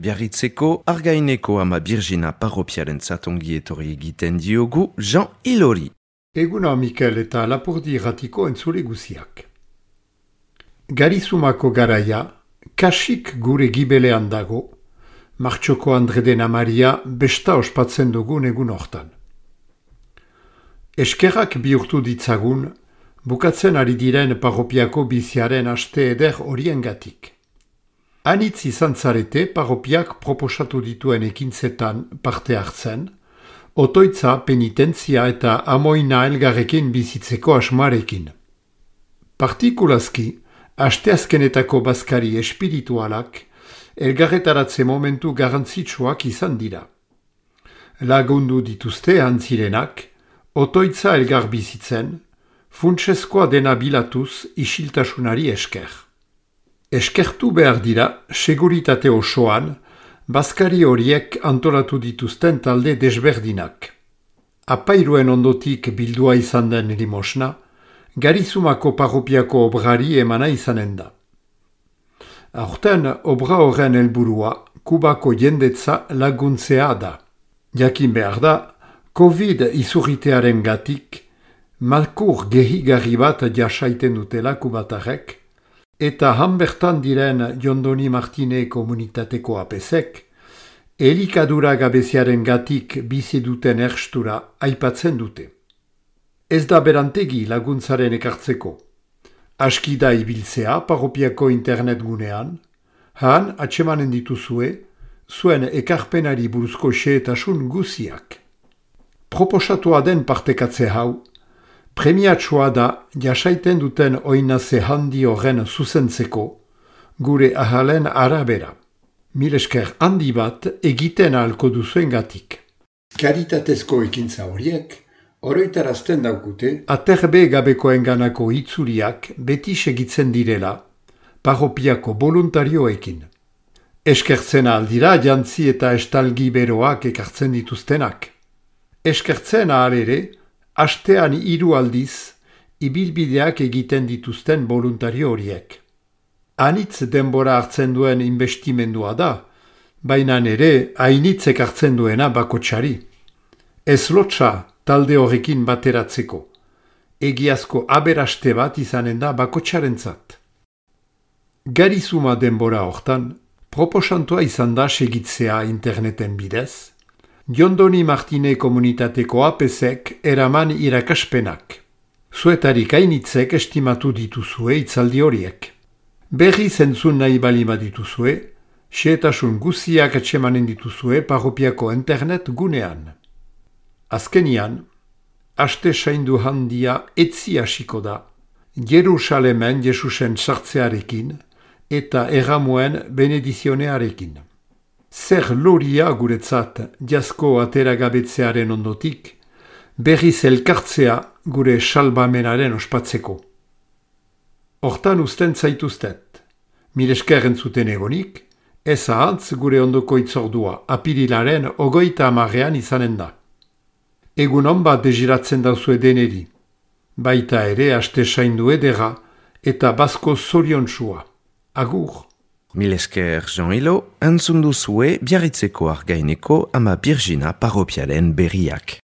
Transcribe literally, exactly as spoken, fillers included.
Biarritzeko Argaineko ama Birjina parropiaren zatongi etorri egiten diogu Jean Ilori. Eguna Mikel eta Lapurdi irratiko entzule guziak. Garizumako garaia, kasik gure gibelean dago, Martxoko Andredena Maria besta ospatzen dugun egun hortan. Eskerrak bihurtu ditzagun, bukatzen ari diren parropiako biziaren aste eder horiengatik. Anitz izan zarete parropiak proposatu dituen ekintzetan parte hartzen, otoitza, penitentzia eta amoina elgarrekin bizitzeko asmarekin. Partikulazki, asteazkenetako bazkari espiritualak, elgarretaratze momentu garrantzitsuak izan dira. Lagundu dituzte antzirenak, otoitza elgar bizitzen, funtsezkoa dena bilatuz isiltasunari esker. Eskertu behar dira, seguritate osoan, bazkari horiek antolatu dituzten talde desberdinak. Apairuen ondotik bildua izan den limosna, Garizumako parropiako obrari emana izanen da. Aurten, obra horren helburua, Kubako jendetza laguntzea da. Jakin behar da, Covid izurritearen gatik, malkur gehigarri bat jasaiten dutela kubatarek, eta han bertan diren Jondoni Martine komunitateko apesek, elikadura gabeziaren gatik bizi duten erstura aipatzen dute. Ez da berantegi laguntzaren ekartzeko. Aski da ibiltzea parropiako internet gunean, han atsemanen dituzue, zuen ekarpenari buruzko xehetasun guziak. Proposatua den partekatze hau, premiatsua da jasaiten duten oinaze handi horren zuzentzeko, gure ahalen arabera. Milesker handi bat egiten ahalko duzuen gatik. Karitatezko ekintza horiek, oroitarazten daukute, aterbe gabekoenganako itzuliak beti segitzen direla, parropiako voluntarioekin. Eskertzen aldira jantzi eta estalgi beroak ekartzen dituztenak. Eskertzen ahal ere, astean hiru aldiz, ibilbideak egiten dituzten voluntario horiek. Anitz denbora hartzen duen investimendua da, baina ere hainitzek hartzen duena bakotsari. Ez lotsa talde horrekin bateratzeko. Egiazko aberaste bat izanen da bakotsarentzat. Garizuma denbora hortan, proposantua izan da segitzea interneten bidez, Jondoni Martine komunitateko apesek eraman irakaspenak. Zuetarik hainitzek estimatu dituzue itzaldi horiek. Berri zentzun nahi balima dituzue, xehetasun guziak atsemanen dituzue parropiako internet gunean. Azkenian, aste saindu handia etzi hasiko da, Jerusalemen Jesusen sartzearekin eta erramuen benedizionearekin. Zer loria guretzat jasko ateragabetzearen ondotik, berriz elkartzea gure salbamenaren ospatzeko. Hortan usten zaituztet, milesker entzuten egonik, ez ahantz gure ondoko itzordua apirilaren ogoita amarrean izanen da. Egun hon bat deziratzen dauzue deneri, baita ere aste saindu edera eta bazko zoriontsua. Agur! Milesker Jean Ilo, entzun duzue Biarritzeko Argaineko ama Birjina parropiaren berriak.